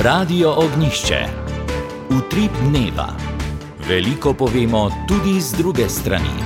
Radio Ognjišče. Utrip dneva. Veliko povemo tudi z druge strani.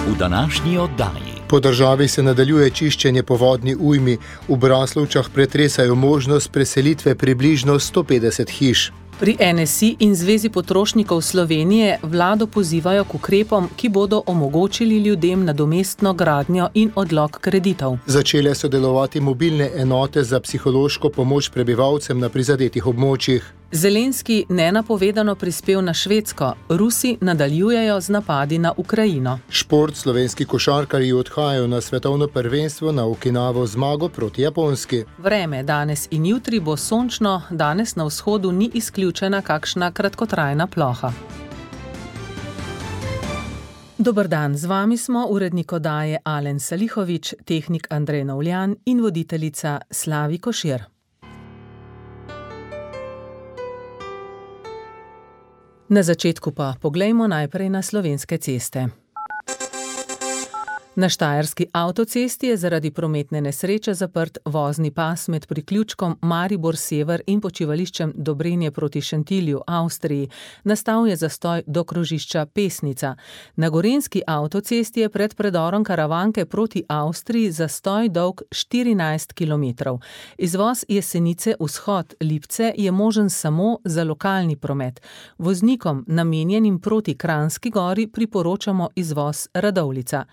V današnji oddaji. Po državi se nadaljuje čiščenje po vodni ujmi. V Braslovčah pretresajo možnost preselitve približno 150 hiš. Pri NSI in Zvezi potrošnikov Slovenije vlado pozivajo k ukrepom, ki bodo omogočili ljudem nadomestno gradnjo in odlog kreditov. Začele so delovati mobilne enote za psihološko pomoč prebivalcem na prizadetih območjih. Zelenski nenapovedano prispel na Švedsko, Rusi nadaljujejo z napadi na Ukrajino. Šport, slovenski košarkarji odhajajo na svetovno prvenstvo na Okinavo zmago proti Japonski. Vreme danes in jutri bo sončno, danes na vzhodu ni izključena kakšna kratkotrajna ploha. Dober dan, z vami smo urednik oddaje Alen Salihovič, tehnik Andrej Novljan in voditeljica Slavi Košir. Na začetku pa poglejmo najprej na slovenske ceste. Na štajerski avtocesti je zaradi prometne nesreče zaprt vozni pas med priključkom Maribor Sever in počivališčem Dobrenje proti Šentilju, Avstriji. Nastal je zastoj do krožišča Pesnica. Na gorenjski avtocesti je pred predorom Karavanke proti Avstriji zastoj dolg 14 km. Izvoz Jesenice vzhod Lipce je možen samo za lokalni promet. Voznikom, namenjenim proti Kranjski Gori, priporočamo izvoz Radovljica.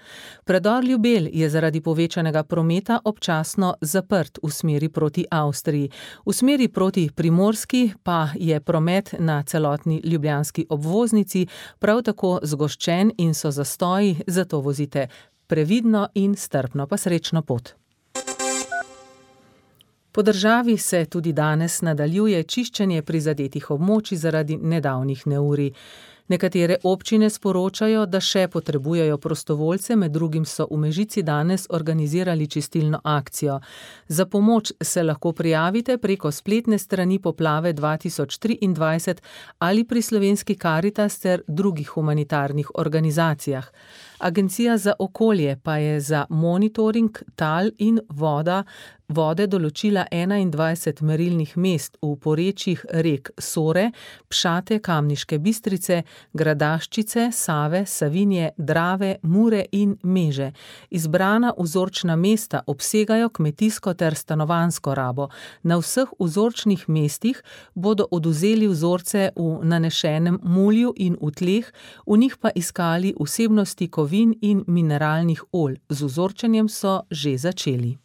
Predor Ljubelj je zaradi povečanega prometa občasno zaprt v smeri proti Avstriji. V smeri proti Primorski pa je promet na celotni ljubljanski obvoznici prav tako zgoščen in so zastoji, zato vozite previdno in strpno, pa srečno pot. Po državi se tudi danes nadaljuje čiščenje prizadetih območij zaradi nedavnih neurij. Nekatere občine sporočajo, da še potrebujejo prostovoljce, med drugim so v Mežici danes organizirali čistilno akcijo. Za pomoč se lahko prijavite preko spletne strani Poplave 2023 ali pri Slovenski Karitas ter drugih humanitarnih organizacijah. Agencija za okolje pa je za monitoring tal in vode določila 21 merilnih mest v porečjih rek Sore, Pšate, Kamniške Bistrice, Gradaščice, Save, Savinje, Drave, Mure in Meže. Izbrana vzorčna mesta obsegajo kmetijsko ter stanovanjsko rabo. Na vseh vzorčnih mestih bodo odvzeli vzorce v nanešenem mulju in v tleh, v njih pa iskali vsebnosti kovin in mineralnih olj. Z vzorčenjem so že začeli.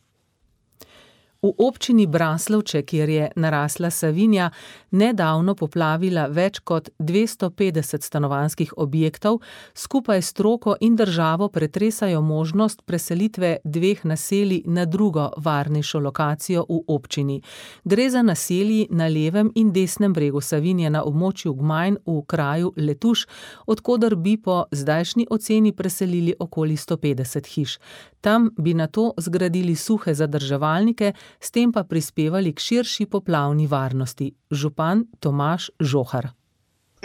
V občini Braslovče, kjer je narasla Savinja, nedavno poplavila več kot 250 stanovanjskih objektov, skupaj s stroko in državo pretresajo možnost preselitve dveh naselij na drugo varnejšo lokacijo v občini. Gre za naselji na levem in desnem bregu Savinje na območju Gmajn v kraju Letuš, od koder bi po zdajšnji oceni preselili okoli 150 hiš. Tam bi nato zgradili suhe zadrževalnike, s tem pa prispevali k širši poplavni varnosti. Župan Tomaž Žohar.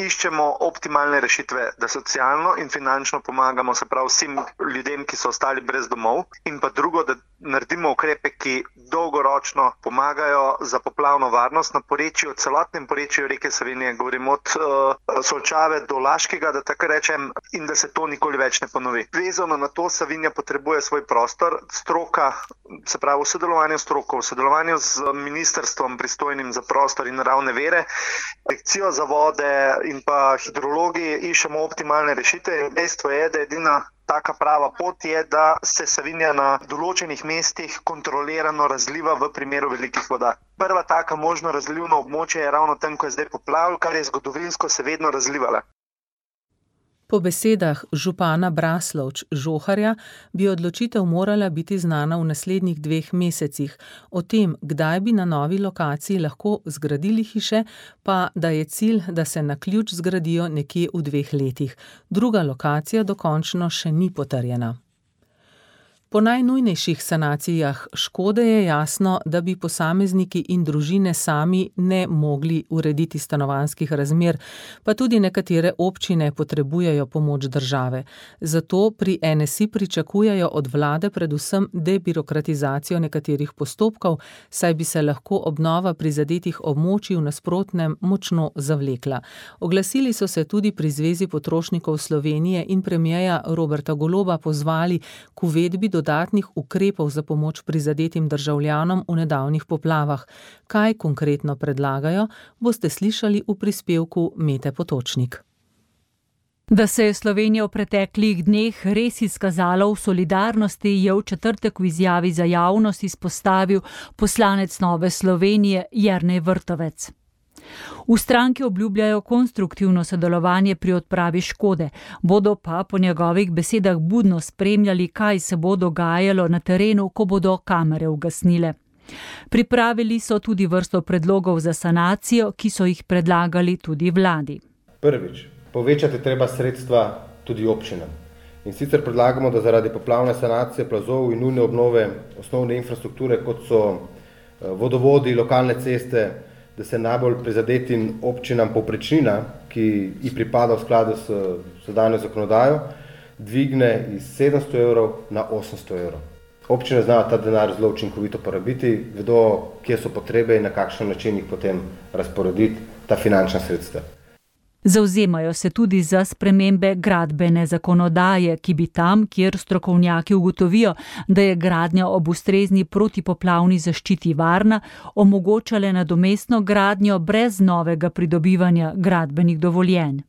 Iščemo optimalne rešitve, da socialno in finančno pomagamo, se pravi vsem ljudem, ki so ostali brez domov, in pa drugo, da naredimo ukrepe, ki dolgoročno pomagajo za poplavno varnost na porečju, celotnem porečju reke Savinje, govorim od Solčave do Laškega, da tako rečem, in da se to nikoli več ne ponovi. Vezano na to, Savinja potrebuje svoj prostor, stroka, se pravi v sodelovanju s stroko, v sodelovanju z ministrstvom pristojnim za prostor in naravne vire, Direkcijo za vode in pa hidrologi iščemo optimalne rešitve. Dejstvo je, da edina taka prava pot je, da se Savinja na določenih mestih kontrolirano razliva v primeru velikih voda. Prva taka možno razlivno območje je ravno tam, ko je zdaj poplav, kar je zgodovinsko se vedno razlivala. Po besedah župana Braslovč Žoharja bi odločitev morala biti znana v naslednjih 2 mesecih. O tem, kdaj bi na novi lokaciji lahko zgradili hiše, pa da je cilj, da se na ključ zgradijo nekje v 2 letih. Druga lokacija dokončno še ni potrjena. Po najnujnejših sanacijah škode je jasno, da bi posamezniki in družine sami ne mogli urediti stanovanjskih razmer, pa tudi nekatere občine potrebujejo pomoč države. Zato pri NSI pričakujejo od vlade predvsem debirokratizacijo nekaterih postopkov, saj bi se lahko obnova prizadetih območij v nasprotnem močno zavlekla. Oglasili so se tudi pri Zvezi potrošnikov Slovenije in premierja Roberta Goloba pozvali k uvedbi dodatnih ukrepov za pomoč prizadetim državljanom v nedavnih poplavah. Kaj konkretno predlagajo, boste slišali v prispevku Mete Potočnik. Da se je Slovenija v preteklih dneh res izkazala v solidarnosti, je v četrtek v izjavi za javnost izpostavil poslanec Nove Slovenije Jernej Vrtovec. V stranki obljubljajo konstruktivno sodelovanje pri odpravi škode, bodo pa po njegovih besedah budno spremljali, kaj se bo dogajalo na terenu, ko bodo kamere ugasnile. Pripravili so tudi vrsto predlogov za sanacijo, ki so jih predlagali tudi vladi. Prvič, povečati treba sredstva tudi občinam. In sicer predlagamo, da zaradi poplavne sanacije plazov in nujne obnove osnovne infrastrukture, kot so vodovodi, lokalne ceste, da se najbolj prizadetim občinam povprečnina, ki ji pripada v skladu s sedanjo zakonodajo, dvigne iz 700 evrov na 800 evrov. Občine znajo ta denar zelo učinkovito porabiti, vedo, kje so potrebe in na kakšen način jih potem razporediti ta finančna sredstva. Zavzemajo se tudi za spremembe gradbene zakonodaje, ki bi tam, kjer strokovnjaki ugotovijo, da je gradnja ob ustrezni protipoplavni zaščiti varna, omogočale nadomestno gradnjo brez novega pridobivanja gradbenih dovoljenj.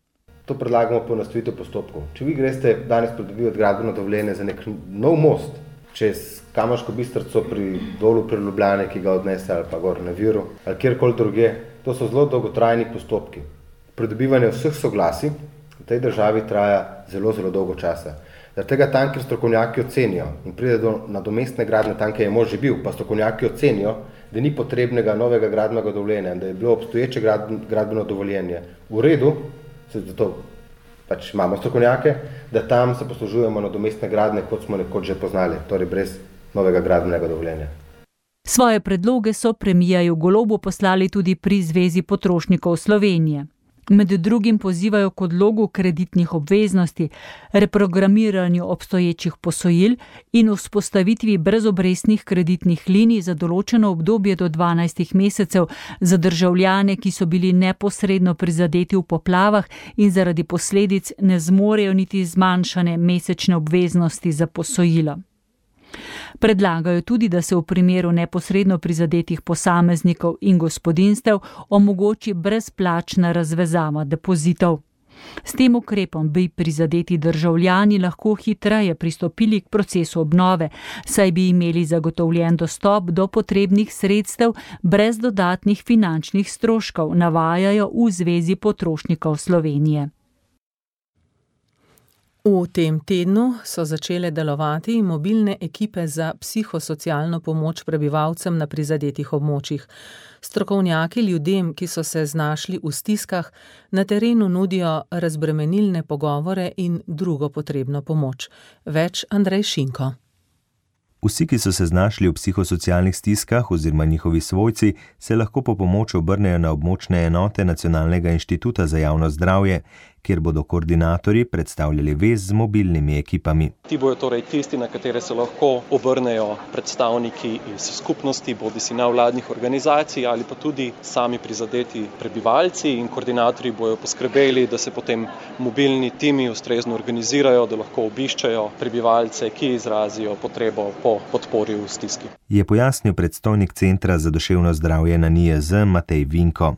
To predlagamo poenostavitev postopkov. Če vi greste danes pridobivati gradbeno dovoljenje za nek nov most čez Kamniško Bistrico pri dolu pri Ljubljani, ki ga odnese ali pa gor na Viru, ali kjerkoli druge, to so zelo dolgotrajni postopki. Pridobivanje vseh soglasij v tej državi traja zelo, zelo dolgo časa. Zaradi tega tam, kjer strokovnjaki ocenijo in pride do nadomestne gradnje, tam, kjer je mož že bil, pa strokovnjaki ocenijo, da ni potrebnega novega gradbenega dovoljenja, da je bilo obstoječe gradbeno dovoljenje v redu, zato pač imamo strokovnjake, da tam se poslužujemo nadomestne gradnje, kot smo nekoč že poznali, torej brez novega gradbenega dovoljenja. Svoje predloge so premierju Golobu poslali tudi pri Zvezi potrošnikov Slovenije. Med drugim pozivajo k odlogu kreditnih obveznosti, reprogramiranju obstoječih posojil in vzpostavitvi brezobrestnih kreditnih linij za določeno obdobje do 12 mesecev za državljane, ki so bili neposredno prizadeti v poplavah in zaradi posledic ne zmorejo niti zmanjšane mesečne obveznosti za posojilo. Predlagajo tudi, da se v primeru neposredno prizadetih posameznikov in gospodinjstev omogoči brezplačna razvezava depozitov. S tem ukrepom bi prizadeti državljani lahko hitreje pristopili k procesu obnove, saj bi imeli zagotovljen dostop do potrebnih sredstev brez dodatnih finančnih stroškov, navajajo v Zvezi potrošnikov Slovenije. V tem tednu so začele delovati mobilne ekipe za psihosocialno pomoč prebivalcem na prizadetih območjih. Strokovnjaki ljudem, ki so se znašli v stiskah, na terenu nudijo razbremenilne pogovore in drugo potrebno pomoč. Več Andrej Šinko. Vsi, ki so se znašli v psihosocialnih stiskah oziroma njihovi svojci, se lahko po pomoč obrnejo na območne enote Nacionalnega inštituta za javno zdravje, kjer bodo koordinatorji predstavljali vez z mobilnimi ekipami. Ti bojo torej tisti, na katere se lahko obrnejo predstavniki iz skupnosti, bodisi nevladnih organizacij ali pa tudi sami prizadeti prebivalci, in koordinatorji bojo poskrbeli, da se potem mobilni timi ustrezno organizirajo, da lahko obiščejo prebivalce, ki izrazijo potrebo po podpori v stiski. Je pojasnil predstojnik Centra za duševno zdravje na NIJZ Matej Vinko.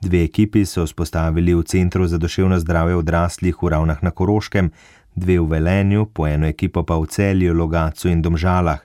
2 ekipi so vzpostavili v Centru za duševno zdravje odraslih v Ravnah na Koroškem, 2 v Velenju, po eno ekipo pa v Celju, Logatcu in Domžalah.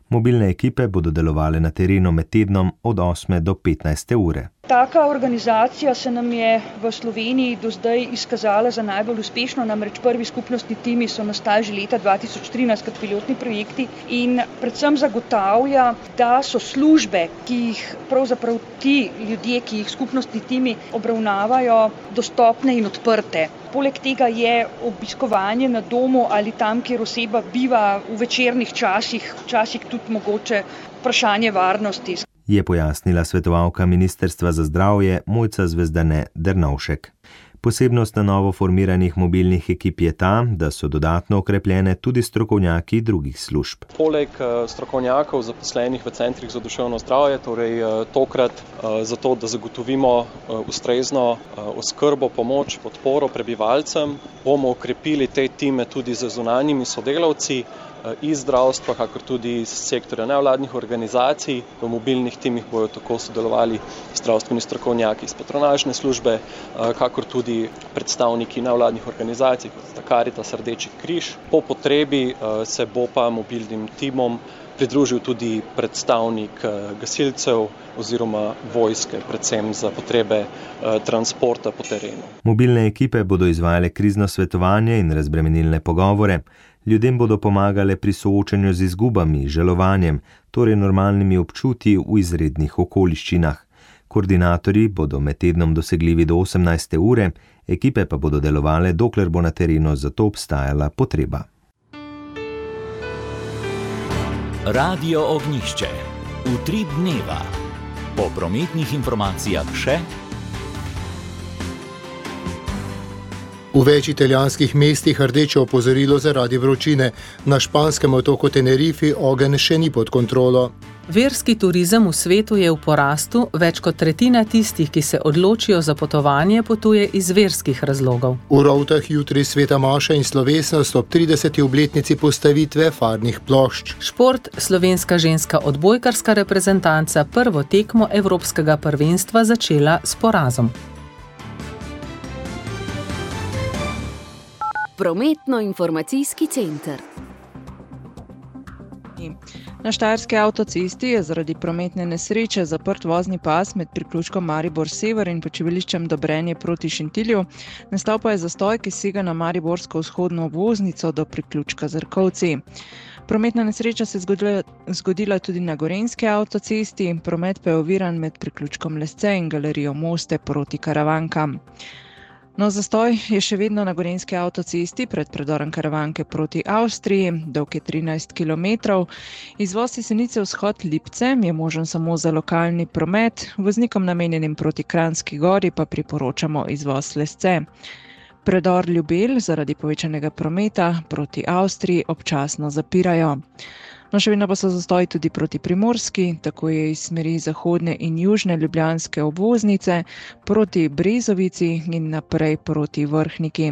Mobilne ekipe bodo delovale na terenu med tednom od 8 do 15 ure. Taka organizacija se nam je v Sloveniji do zdaj izkazala za najbolj uspešno, namreč prvi skupnostni timi so nastali že leta 2013 kot pilotni projekti in predvsem zagotavlja, da so službe, ki jih pravzaprav ti ljudje, ki jih skupnostni timi obravnavajo, dostopne in odprte. Poleg tega je obiskovanje na domu ali tam, kjer oseba biva v večernih časih, včasih tudi mogoče vprašanje varnosti. Je pojasnila svetovalka Ministrstva za zdravje Mojca Zvezdane Dernovšek. Posebnost na novo formiranih mobilnih ekip je ta, da so dodatno okrepljene tudi strokovnjaki drugih služb. Poleg strokovnjakov zaposlenih v centrih za duševno zdravje, torej tokrat zato, da zagotovimo ustrezno oskrbo, pomoč, podporo prebivalcem, bomo okrepili te time tudi z zunanjimi sodelavci iz zdravstva, kakor tudi iz sektorja nevladnih organizacij. V mobilnih timih bojo tako sodelovali zdravstveni strokovnjaki iz patronažne službe, kakor tudi predstavniki nevladnih organizacij, kot sta Karitas, Rdeči križ. Po potrebi se bo pa mobilnim timom pridružil tudi predstavnik gasilcev oziroma vojske, predvsem za potrebe transporta po terenu. Mobilne ekipe bodo izvajale krizno svetovanje in razbremenilne pogovore. Ljudem bodo pomagale pri soočanju z izgubami, žalovanjem, torej normalnimi občutji v izrednih okoliščinah. Koordinatorji bodo med tednom dosegljivi do 18. ure, ekipe pa bodo delovale, dokler bo na terenu za to obstajala potreba. Radio Ognjišče. Utrip dneva. Po prometnih informacijah še. V več italijanskih mestih rdeče opozorilo zaradi vročine. Na španskem otoku Tenerifi ogenj še ni pod kontrolo. Verski turizem v svetu je v porastu, več kot tretjina tistih, ki se odločijo za potovanje, potuje iz verskih razlogov. V Rovtah jutri sveta maša in slovesnost ob 30. obletnici postavitve farnih plošč. Šport, slovenska ženska odbojkarska reprezentanca prvo tekmo evropskega prvenstva začela s porazom. Prometno-informacijski center. Na štajerski avtocesti je zaradi prometne nesreče zaprt vozni pas med priključkom Maribor Sever in počivališčem Dobrenje proti Šentilju. Nastal pa je zastoj, ki sega na mariborsko vzhodno obvoznico do priključka Zrkovci. Prometna nesreča se je zgodila tudi na gorenjski avtocesti, promet pa je oviran med priključkom Lesce in galerijo Moste proti Karavankam. No, zastoj je še vedno na gorenjski avtocesti pred predorom Karavanke proti Avstriji, dolg je 13 km. Izvoz iz Senice vzhod Lipce je možen samo za lokalni promet, voznikom namenjenim proti Kranjski Gori pa priporočamo izvoz Lesce. Predor Ljubelj zaradi povečanega prometa proti Avstriji občasno zapirajo. No, še vedno pa so zastoji tudi proti Primorski, tako je iz smeri zahodne in južne ljubljanske obvoznice proti Brezovici in naprej proti Vrhniki.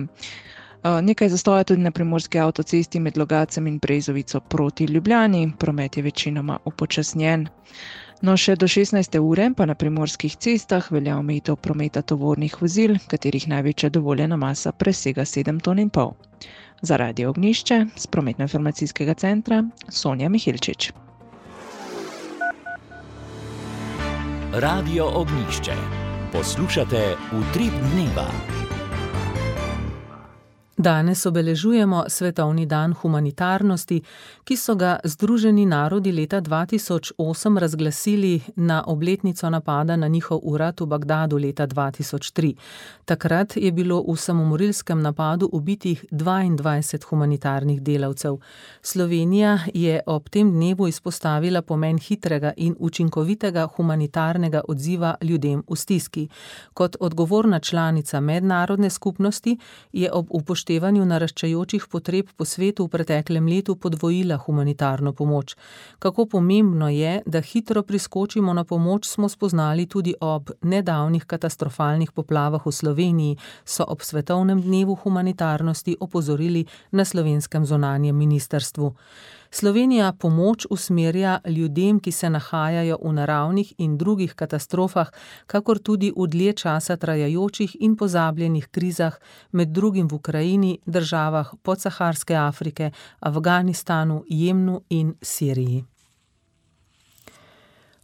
Nekaj zastoja tudi na primorski avtocesti med Logacem in Brezovico proti Ljubljani, promet je večinoma upočasnjen. No, še do 16. ure pa na primorskih cestah velja omejitev prometa tovornih vozil, katerih največja dovoljena masa presega 7,5 ton. Za Radio Ognjišče z prometno-informacijskega centra Sonja Mihilčič. Radio Ognjišče. Poslušate Utrip dneva. Danes obeležujemo Svetovni dan humanitarnosti, ki so ga Združeni narodi leta 2008 razglasili na obletnico napada na njihov urad v Bagdadu leta 2003. Takrat je bilo v samomorilskem napadu ubitih 22 humanitarnih delavcev. Slovenija je ob tem dnevu izpostavila pomen hitrega in učinkovitega humanitarnega odziva ljudem v stiski. Kot odgovorna članica mednarodne skupnosti je ob upoštevanju naraščajočih potreb po svetu v preteklem letu podvojila humanitarno pomoč. Kako pomembno je, da hitro priskočimo na pomoč, smo spoznali tudi ob nedavnih katastrofalnih poplavah v Sloveniji, so ob Svetovnem dnevu humanitarnosti opozorili na slovenskem zunanjem ministrstvu. Slovenija pomoč usmerja ljudem, ki se nahajajo v naravnih in drugih katastrofah, kakor tudi v dlje časa trajajočih in pozabljenih krizah, med drugim v Ukrajini, državah podsaharske Afrike, Afganistanu, Jemnu in Siriji.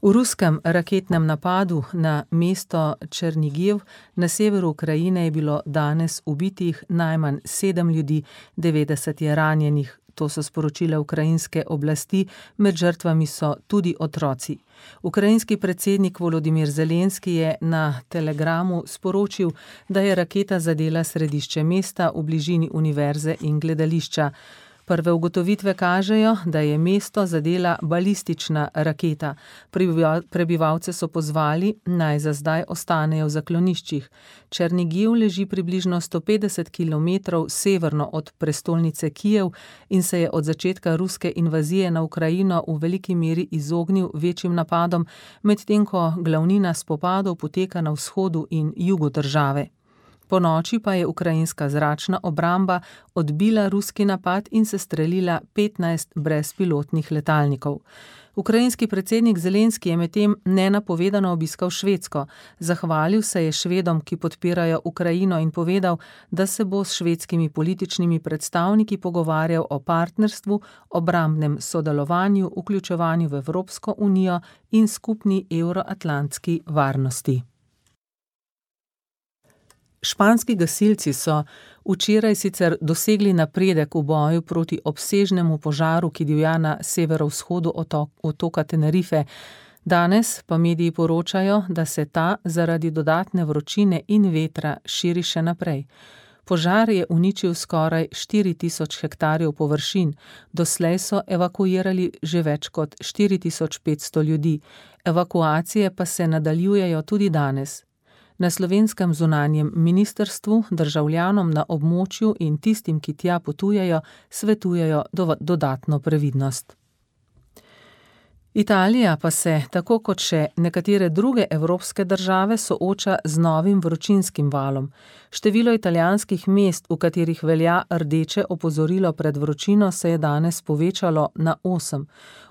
V ruskem raketnem napadu na mesto Černigiv na severu Ukrajine je bilo danes ubitih najmanj 7 ljudi, 90 je ranjenih, to so sporočile ukrajinske oblasti, med žrtvami so tudi otroci. Ukrajinski predsednik Volodimir Zelenski je na telegramu sporočil, da je raketa zadela središče mesta v bližini univerze in gledališča. Prve ugotovitve kažejo, da je mesto zadela balistična raketa. Prebivalce so pozvali, naj za zdaj ostanejo v zakloniščih. Černigiv leži približno 150 km severno od prestolnice Kijev in se je od začetka ruske invazije na Ukrajino v veliki meri izognil večjim napadom, medtem ko glavnina spopadov poteka na vzhodu in jugu države. Po noči pa je ukrajinska zračna obramba odbila ruski napad in sestrelila 15 brezpilotnih letalnikov. Ukrajinski predsednik Zelenski je medtem nenapovedano obiskal Švedsko. Zahvalil se je Švedom, ki podpirajo Ukrajino, in povedal, da se bo s švedskimi političnimi predstavniki pogovarjal o partnerstvu, obrambnem sodelovanju, vključevanju v Evropsko unijo in skupni evroatlantski varnosti. Španski gasilci so včeraj sicer dosegli napredek v boju proti obsežnemu požaru, ki divja na severovzhodu otoka Tenerife. Danes pa mediji poročajo, da se ta zaradi dodatne vročine in vetra širi še naprej. Požar je uničil skoraj 4000 hektarjev površin. Doslej so evakuirali že več kot 4500 ljudi. Evakuacije pa se nadaljujejo tudi danes. Na slovenskem zunanjem ministrstvu državljanom na območju in tistim, ki tja potujejo, svetujejo dodatno previdnost. Italija pa se, tako kot še nekatere druge evropske države, sooča z novim vročinskim valom. Število italijanskih mest, v katerih velja rdeče opozorilo pred vročino, se je danes povečalo na 8.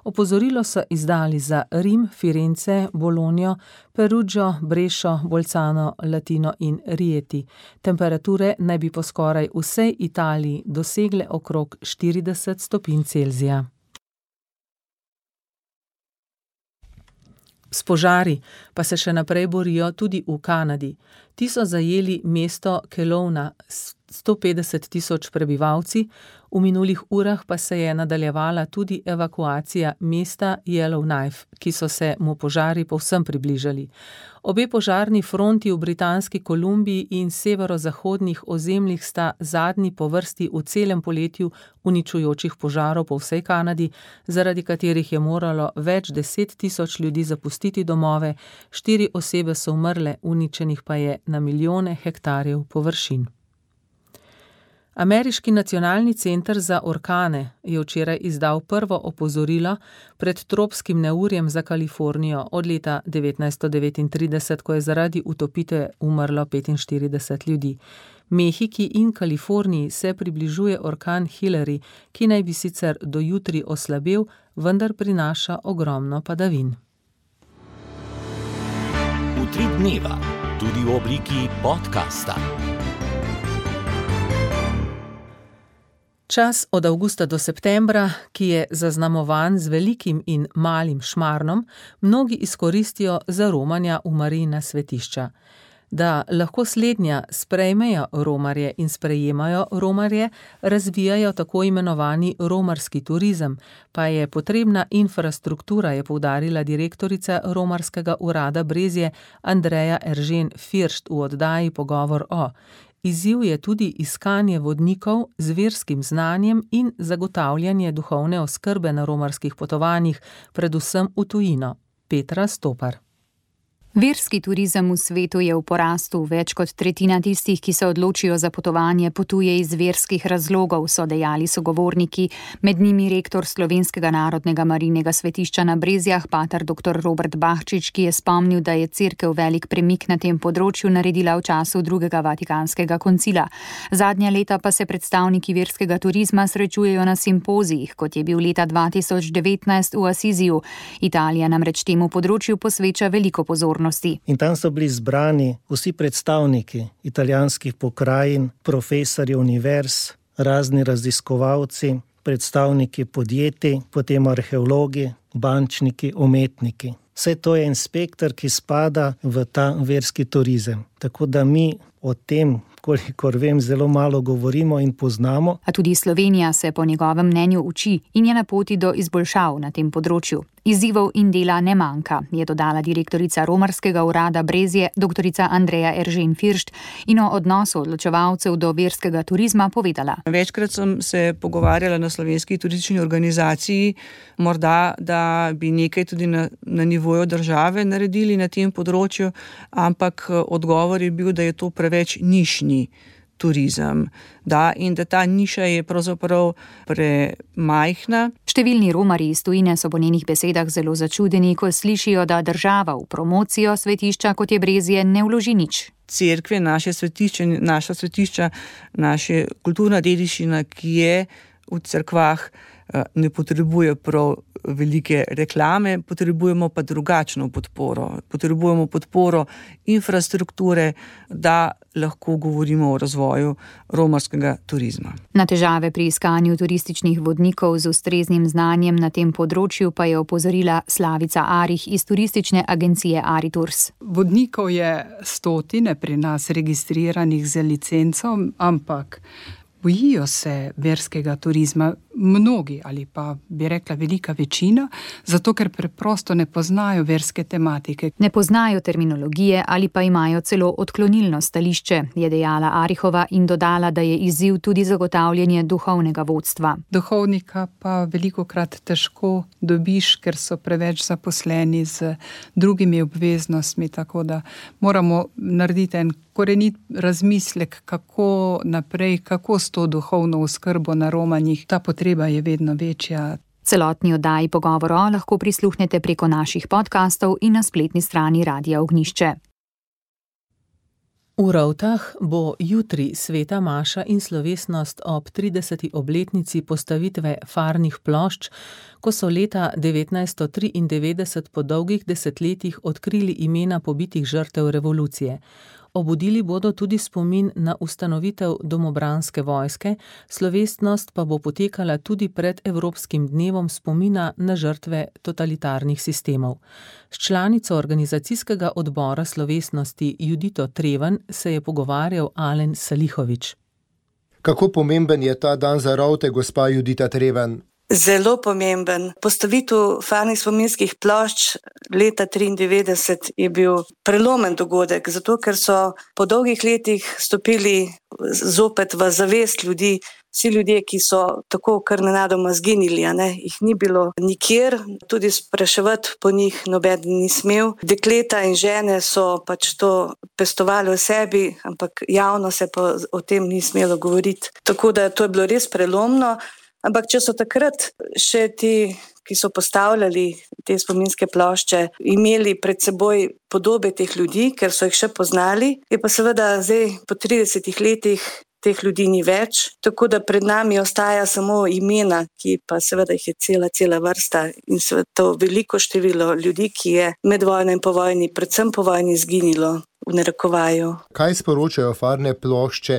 Opozorilo so izdali za Rim, Firence, Bologno, Perugio, Brešo, Bolzano, Latino in Rieti. Temperature naj bi po skoraj vsej Italiji dosegle okrog 40 stopinj Celzija. S požari pa se še naprej borijo tudi v Kanadi. Ti so zajeli mesto Kelowna s 150 000 prebivalci, v minulih urah pa se je nadaljevala tudi evakuacija mesta Yellowknife, ki so se mu požari povsem približali. Obe požarni fronti v Britanski Kolumbiji in severozahodnih ozemljih sta zadnji po vrsti v celem poletju uničujočih požarov po vsej Kanadi, zaradi katerih je moralo več 10 000 ljudi zapustiti domove, 4 osebe so umrle, uničenih pa je na milijone hektarjev površin. Ameriški nacionalni center za orkane je včeraj izdal prvo opozorilo pred tropskim neurjem za Kalifornijo od leta 1939, ko je zaradi utopitve umrlo 45 ljudi. Mehiki in Kaliforniji se približuje orkan Hillary, ki naj bi sicer do jutri oslabel, vendar prinaša ogromno padavin. Utrip dneva, tudi v obliki podcasta. Čas od avgusta do septembra, ki je zaznamovan z velikim in malim šmarnom, mnogi izkoristijo za romanja v Marijina svetišča. Da lahko slednja sprejmejo romarje in sprejemajo romarje, razvijajo tako imenovani romarski turizem, pa je potrebna infrastruktura, je poudarila direktorica romarskega urada Brezje Andreja Eržen-Firšt v oddaji Pogovor o. Izziv je tudi iskanje vodnikov z verskim znanjem in zagotavljanje duhovne oskrbe na romarskih potovanjih, predvsem v tujino. Petra Stopar. Verski turizem v svetu je v porastu. Več kot tretjina tistih, ki se odločijo za potovanje, potuje iz verskih razlogov, so dejali sogovorniki, med njimi rektor Slovenskega narodnega marijinega svetišča na Brezjah, pater dr. Robert Bahčič, ki je spomnil, da je cerkev velik premik na tem področju naredila v času drugega vatikanskega koncila. Zadnja leta pa se predstavniki verskega turizma srečujejo na simpozijih, kot je bil leta 2019 v Asiziju. Italija namreč temu področju posveča veliko pozornosti. In tam so bili zbrani vsi predstavniki italijanskih pokrajin, profesorji univerz, razni raziskovalci, predstavniki podjetij, potem arheologi, bančniki, umetniki. Vse to je en spekter, ki spada v ta verski turizem. Tako da mi o tem, kolikor vem, zelo malo govorimo in poznamo. A tudi Slovenija se po njegovem mnenju uči in je na poti do izboljšav na tem področju. Izzivov in dela ne manjka, je dodala direktorica romarskega urada Brezje, doktorica Andreja Eržen-Firšt, in o odnosu odločevalcev do verskega turizma povedala. Večkrat sem se pogovarjala na slovenski turistični organizaciji, morda, da bi nekaj tudi na nivoju države naredili na tem področju, ampak odgovor je bil, da je to preveč nišni turizem, in da ta niša je pravzaprav premajhna. Številni Romarji iz tujine so po njenih besedah zelo začudeni, ko slišijo, da država v promocijo svetišča, kot je Brezje, ne vloži nič. Cerkve, naša svetišča, naša kulturna dediščina, ki je v cerkvah, ne potrebuje prav velike reklame, potrebujemo pa drugačno podporo. Potrebujemo podporo infrastrukture, da lahko govorimo o razvoju romarskega turizma. Na težave pri iskanju turističnih vodnikov z ustreznim znanjem na tem področju pa je opozorila Slavica Arih iz turistične agencije Aritours. Vodnikov je stotine pri nas registriranih z licenco, ampak bojijo se verskega turizma mnogi ali pa bi rekla velika večina, zato ker preprosto ne poznajo verske tematike. Ne poznajo terminologije ali pa imajo celo odklonilno stališče, je dejala Arihova in dodala, da je izziv tudi zagotavljanje duhovnega vodstva. Duhovnika pa velikokrat težko dobiš, ker so preveč zaposleni z drugimi obveznostmi, tako da moramo narediti en korenit razmislek, kako naprej, kako s to duhovno oskrbo na romanjih. Ta potreba je vedno večja. Celotni oddaji Pogovora lahko prisluhnete preko naših podcastov in na spletni strani Radia Ognjišče. V Rovtah bo jutri sveta maša in slovesnost ob 30. obletnici postavitve farnih plošč, ko so leta 1993 po dolgih desetletjih odkrili imena pobitih žrtev revolucije. Obudili bodo tudi spomin na ustanovitev domobranske vojske, slovesnost pa bo potekala tudi pred Evropskim dnevom spomina na žrtve totalitarnih sistemov. S članico organizacijskega odbora slovesnosti Judito Treven se je pogovarjal Alen Salihović. Kako pomemben je ta dan za Rovte, gospa Judita Treven? Zelo pomemben. Postavitev farnih spominskih plošč leta 1993 je bil prelomen dogodek, zato ker so po dolgih letih stopili zopet v zavest ljudi, vsi ljudje, ki so tako kar nenadoma zginili, jih ni bilo nikjer, tudi spraševati po njih noben ni smel. Dekleta in žene so pač to pestovali v sebi, ampak javno se pa o tem ni smelo govoriti. Tako da to je bilo res prelomno. Ampak če so takrat še ti, ki so postavljali te spominske plošče, imeli pred seboj podobe teh ljudi, ker so jih še poznali, je pa seveda zdaj po 30 letih teh ljudi ni več, tako da pred nami ostaja samo imena, ki pa seveda jih je cela vrsta in seveda to veliko število ljudi, ki je med vojno in po vojni, predvsem po vojni izginilo. V narekovaju. Kaj sporočajo farne plošče?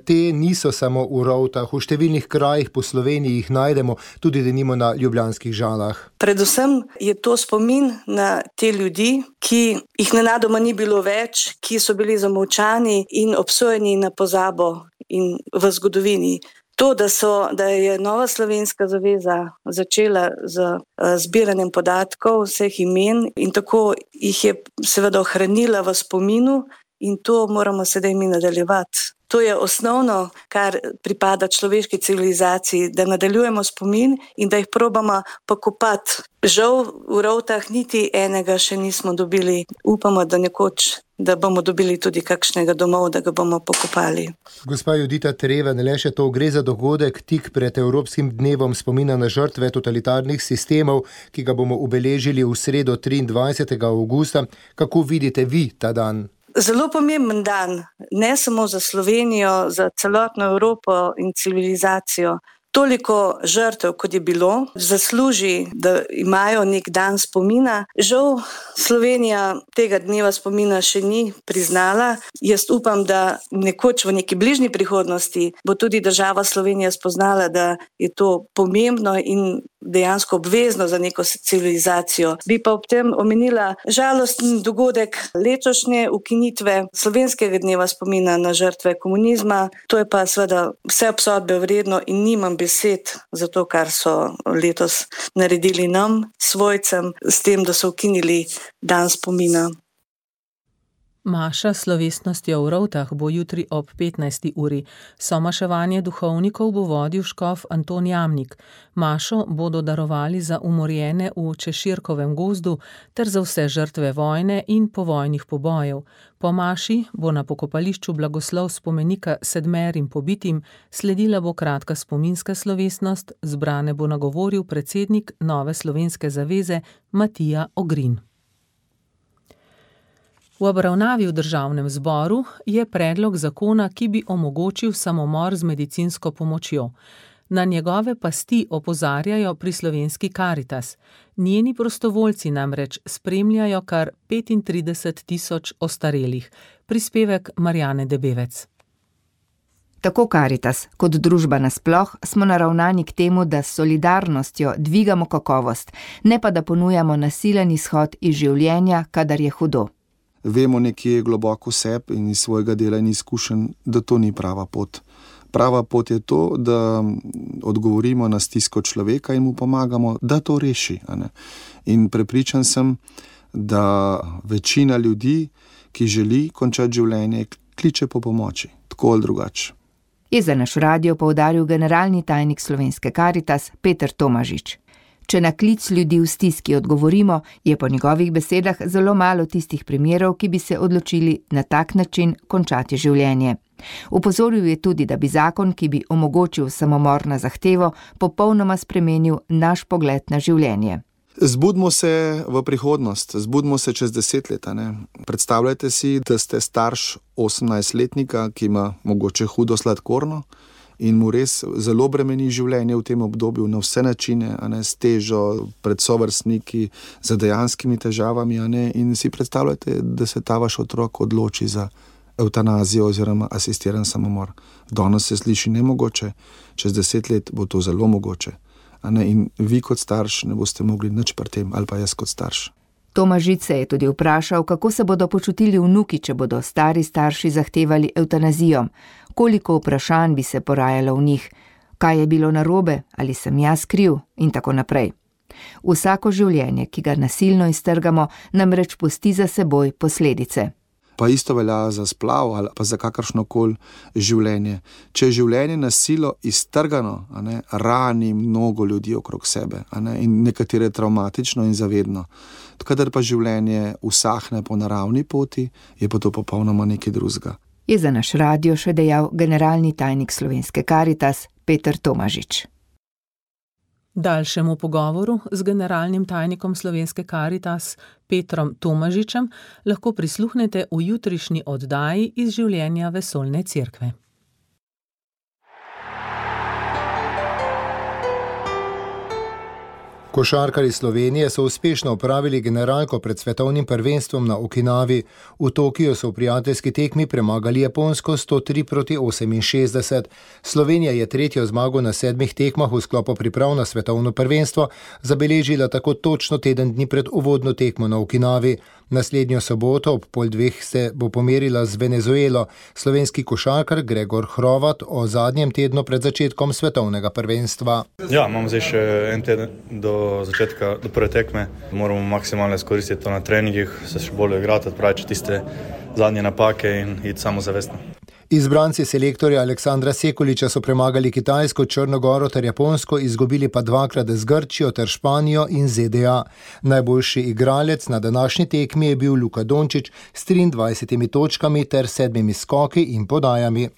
Te niso samo v Rovtah, v številnih krajih po Sloveniji jih najdemo, tudi denimo na ljubljanskih Žalah. Predvsem je to spomin na te ljudi, ki jih nenadoma ni bilo več, ki so bili zamolčani in obsojeni na pozabo in v zgodovini. To, da je Nova slovenska zaveza začela z zbiranjem podatkov vseh imen in tako jih je seveda ohranila v spominu in to moramo sedaj mi nadaljevati. To je osnovno, kar pripada človeški civilizaciji, da nadaljujemo spomin in da jih probamo pokopati. Žal v Rovtah niti enega še nismo dobili. Upamo, da nekoč, da bomo dobili tudi kakšnega domov, da ga bomo pokopali. Gospa Judita Treven, le še to, gre za dogodek tik pred Evropskim dnevom spomina na žrtve totalitarnih sistemov, ki ga bomo obeležili v sredo 23. avgusta. Kako vidite vi ta dan? Zelo pomemben dan, ne samo za Slovenijo, za celotno Evropo in civilizacijo. Toliko žrtev, kot je bilo, zasluži, da imajo nek dan spomina. Žal Slovenija tega dneva spomina še ni priznala. Jaz upam, da nekoč v neki bližnji prihodnosti bo tudi država Slovenija spoznala, da je to pomembno in dejansko obvezno za neko civilizacijo. Bi pa ob tem omenila žalosten dogodek letošnje ukinitve slovenskega dneva spomina na žrtve komunizma. To je pa seveda vse obsodbe vredno in nimam besed za to, kar so letos naredili nam, svojcem, s tem, da so ukinili dan spomina. Maša s slovesnostjo v Rovtah bo jutri ob 15. uri. Somaševanje duhovnikov bo vodil škof Anton Jamnik. Mašo bodo darovali za umorjene v Češirkovem gozdu ter za vse žrtve vojne in povojnih pobojev. Po maši bo na pokopališču blagoslov spomenika 7 pobitim, sledila bo kratka spominska slovesnost, zbrane bo nagovoril predsednik Nove slovenske zaveze Matija Ogrin. V obravnavi v državnem zboru je predlog zakona, ki bi omogočil samomor z medicinsko pomočjo. Na njegove pasti opozarjajo pri slovenski Karitas. Njeni prostovoljci namreč spremljajo kar 35.000 ostarelih. Prispevek Marjane Debevec. Tako Karitas kot družba nasploh smo naravnani k temu, da s solidarnostjo dvigamo kakovost, ne pa da ponujamo nasilen izhod iz življenja, kadar je hudo. Vemo nekje globoko sebe in iz svojega dela in izkušenj, da to ni prava pot. Prava pot je to, da odgovorimo na stisko človeka in mu pomagamo, da to reši. In prepričan sem, da večina ljudi, ki želi končati življenje, kliče po pomoči, tako ali drugače. Je za naš radio poudaril generalni tajnik slovenske Karitas Peter Tomažič. Če na klic ljudi v stiski odgovorimo, je po njegovih besedah zelo malo tistih primerov, ki bi se odločili na tak način končati življenje. Upozoril je tudi, da bi zakon, ki bi omogočil samomor na zahtevo, popolnoma spremenil naš pogled na življenje. Zbudimo se v prihodnost, zbudimo se čez 10 let. Predstavljajte si, da ste starš 18-letnika, ki ima mogoče hudo sladkorno, in mu res zelo bremeni življenje v tem obdobju na vse načine, s težo, pred sovrstniki, z dejanskimi težavami. In si predstavljate, da se ta vaš otrok odloči za evtanazijo oziroma asistiran samomor. Danes se sliši nemogoče, čez 10 let bo to zelo mogoče. In vi kot starš ne boste mogli nič pri tem, ali pa jaz kot starš. Tomažič se je tudi vprašal, kako se bodo počutili vnuki, če bodo stari starši zahtevali evtanazijo. Koliko vprašanj bi se porajalo v njih, kaj je bilo narobe, ali sem jaz kriv in tako naprej. Vsako življenje, ki ga nasilno iztrgamo, namreč pusti za seboj posledice. Pa isto velja za splav ali pa za kakršnokoli življenje. Če je življenje na silo iztrgano, rani mnogo ljudi okrog sebe, in nekatere travmatično in zavedno. Kadar pa življenje usahne po naravni poti, je pa to popolnoma nekaj drugega. Je za naš radio še dejal generalni tajnik slovenske Karitas Peter Tomažič. Daljšemu pogovoru z generalnim tajnikom slovenske Karitas Petrom Tomažičem lahko prisluhnete v jutrišnji oddaji iz življenja Vesoljne cerkve. Košarkarji Slovenije so uspešno opravili generalko pred svetovnim prvenstvom na Okinavi. V Tokiju so v prijateljski tekmi premagali Japonsko 103-68. Slovenija je tretjo zmago na 7 tekmah v sklopu priprav na svetovno prvenstvo zabeležila tako točno teden dni pred uvodno tekmo na Okinavi. Naslednjo soboto ob 1:30 se bo pomerila z Venezuelo. Slovenski košarkar Gregor Hrovat o zadnjem tednu pred začetkom svetovnega prvenstva. Ja, imamo zdaj še en teden do začetka, do prve tekme. Moramo maksimalno izkoristiti to na treningih, se še bolj igrati, odpraviti tiste zadnje napake in iti samozavestno. Izbranci selektorja Aleksandra Sekuliča so premagali Kitajsko, Črno Goro ter Japonsko, izgubili pa 2-krat z Grčijo ter Španijo in ZDA. Najboljši igralec na današnji tekmi je bil Luka Dončić s 23 točkami ter 7 skoki in podajami.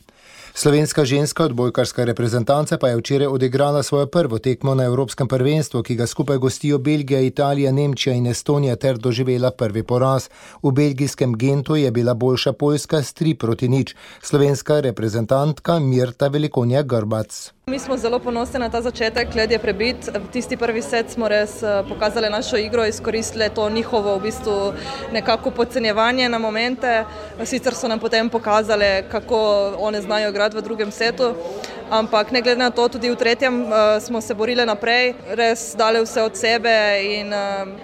Slovenska ženska odbojkarska reprezentanca pa je včeraj odigrala svojo prvo tekmo na Evropskem prvenstvu, ki ga skupaj gostijo Belgija, Italija, Nemčija in Estonija ter doživela prvi poraz. V belgijskem Gentu je bila boljša Poljska s 3-0. Slovenska reprezentantka Mirta Velikonja Grbac. Mi smo zelo ponosni na ta začetek, led je prebit. V tisti prvi set smo res pokazali našo igro, izkoristili to njihovo v bistvu nekako podcenjevanje na momente. Sicer so nam potem pokazali, kako one znajo igrati v drugem setu. ampak ne glede na to, tudi v tretjem smo se borili naprej, res dali vse od sebe in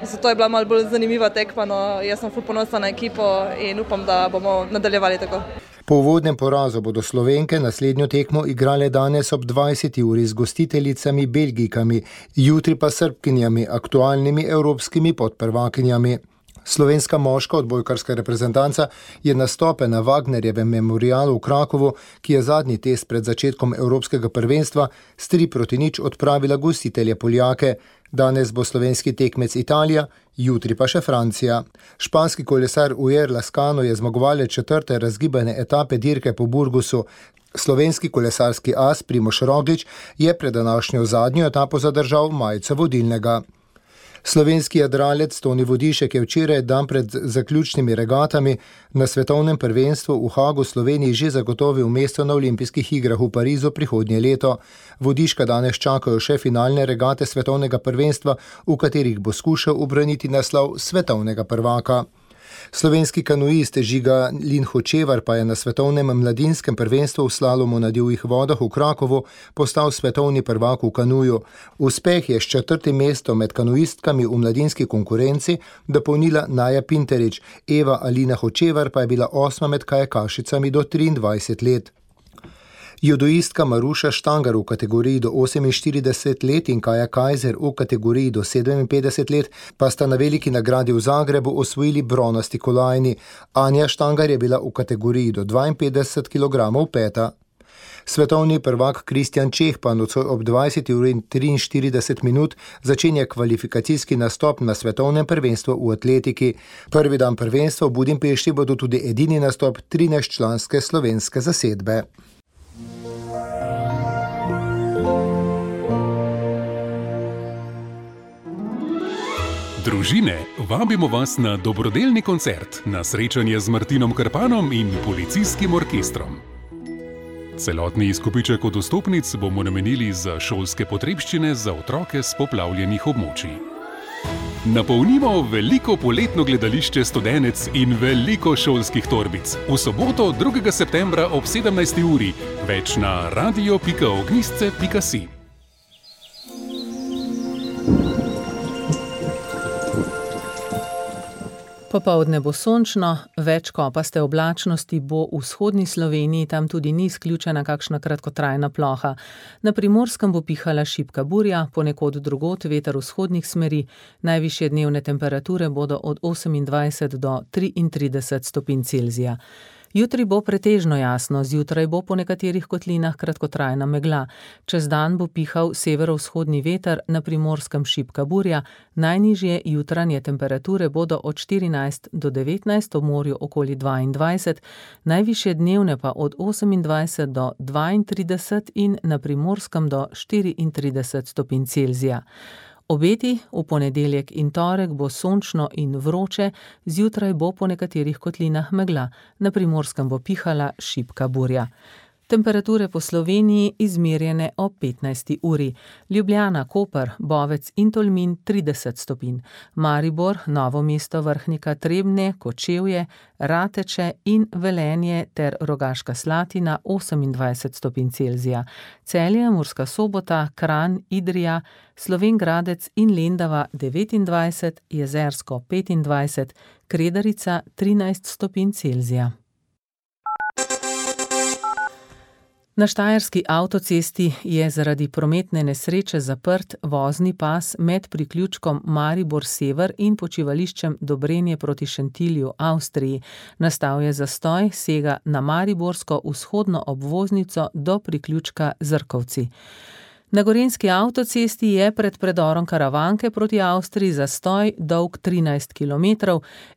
zato je bila malo bolj zanimiva tekma. No, jaz sem ful ponosna na ekipo in upam, da bomo nadaljevali tako. Po uvodnem porazu bodo Slovenke naslednjo tekmo igrale danes ob 20. uri z gostiteljicami Belgijkami, jutri pa Srbkinjami, aktualnimi evropskimi podprvakinjami. Slovenska moška odbojkarska reprezentanca je nastope na Wagnerjevem memorialu v Krakovu, ki je zadnji test pred začetkom evropskega prvenstva, s 3-0 odpravila gostitelje Poljake. Danes bo slovenski tekmec Italija, jutri pa še Francija. Španski kolesar Ujer Lascano je zmagovalec 4. razgibane etape dirke po Burgosu. Slovenski kolesarski as Primož Roglič je pred današnjo zadnjo etapo zadržal majico vodilnega. Slovenski jadralec Toni Vodišek je včeraj dan pred zaključnimi regatami na svetovnem prvenstvu v Hagu Sloveniji že zagotovil mesto na olimpijskih igrah v Parizu prihodnje leto. Vodiška danes čakajo še finalne regate svetovnega prvenstva, v katerih bo skušal ubraniti naslov svetovnega prvaka. Slovenski kanuist Žiga Linhočevar pa je na svetovnem mladinskem prvenstvu v slalomu na divjih vodah v Krakovu postal svetovni prvak v kanuju. Uspeh je s 4. mestom med kanuistkami v mladinski konkurenci dopolnila Naja Pinterič, Eva Alina Hočevar pa je bila 8. med kajakašicami do 23 let. Judoistka Maruša Štangar v kategoriji do 48 let in Kaja Kajzer v kategoriji do 57 let pa sta na veliki nagradi v Zagrebu osvojili bronasti kolajni. Anja Štangar je bila v kategoriji do 52 kg peta. Svetovni prvak Kristjan Čeh pa nocoj ob 20:43 začenja kvalifikacijski nastop na svetovnem prvenstvu v atletiki. Prvi dan prvenstva v Budimpešti bodo tudi edini nastop 13-članske slovenske zasedbe. Družine, vabimo vas na dobrodelni koncert, na srečanje z Martinom Krpanom in policijskim orkestrom. Celotni izkupiček od vstopnic bomo namenili za šolske potrebščine za otroke s poplavljenih območij. Napolnimo veliko poletno gledališče Studenec in veliko šolskih torbic. V soboto 2. septembra ob 17. uri, več na radio.ognistce.si. Popoldne bo sončno, več kopaste oblačnosti bo v vzhodni Sloveniji, tam tudi ni izključena kakšna kratkotrajna ploha. Na Primorskem bo pihala šibka burja, ponekod drugod veter vzhodnih smeri, najvišje dnevne temperature bodo od 28 do 33 stopinj Celzija. Jutri bo pretežno jasno, zjutraj bo po nekaterih kotlinah kratkotrajna megla. Čez dan bo pihal severovzhodni veter, na Primorskem šibka burja, najnižje jutranje temperature bodo od 14 do 19, v morju okoli 22, najvišje dnevne pa od 28 do 32 in na Primorskem do 34 stopinj Celzija. Obeti v ponedeljek in torek bo sončno in vroče, zjutraj bo po nekaterih kotlinah megla, na Primorskem bo pihala šibka burja. Temperature po Sloveniji izmerjene ob 15. uri. Ljubljana, Koper, Bovec in Tolmin 30 stopinj. Maribor, Novo mesto, Vrhnika, Trebnje, Kočevje, Rateče in Velenje ter Rogaška Slatina 28 stopinj Celzija. Celje, Murska Sobota, Kranj, Idrija, Slovenj Gradec in Lendava 29, Jezersko 25, Kredarica 13 stopinj Celzija. Na štajerski avtocesti je zaradi prometne nesreče zaprt vozni pas med priključkom Maribor-Sever in počivališčem Dobrenje proti Šentilju, Avstriji. Nastal je zastoj, sega na mariborsko vzhodno obvoznico do priključka Zrkovci. Na gorenjski avtocesti je pred predorom Karavanke proti Avstriji zastoj dolg 13 km,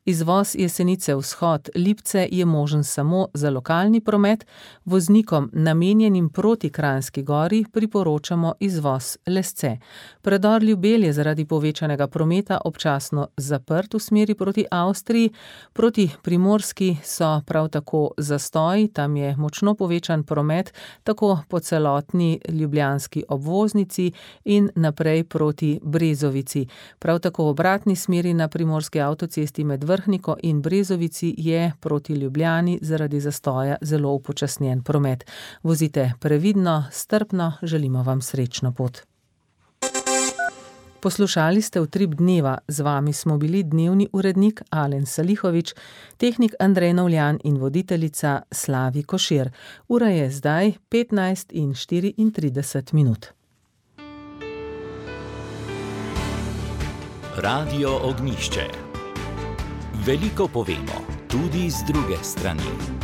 izvoz Jesenice vzhod Lipce je možen samo za lokalni promet, voznikom namenjenim proti Kranjski gori priporočamo izvoz Lesce. Predor Ljubelj je zaradi povečanega prometa občasno zaprt v smeri proti Avstriji, proti Primorski so prav tako zastoji, tam je močno povečan promet, tako po celotni ljubljanski obvoznici obvoznici in naprej proti Brezovici. Prav tako v obratni smeri na primorski avtocesti med Vrhniko in Brezovici je proti Ljubljani zaradi zastoja zelo upočasnjen promet. Vozite previdno, strpno, želimo vam srečno pot. Poslušali ste Utrip dneva, z vami smo bili dnevni urednik Alen Salihovič, tehnik Andrej Novljan in voditeljica Slavi Košir. Ura je zdaj 15:34. Radio Ognjišče. Veliko povemo, tudi z druge strani.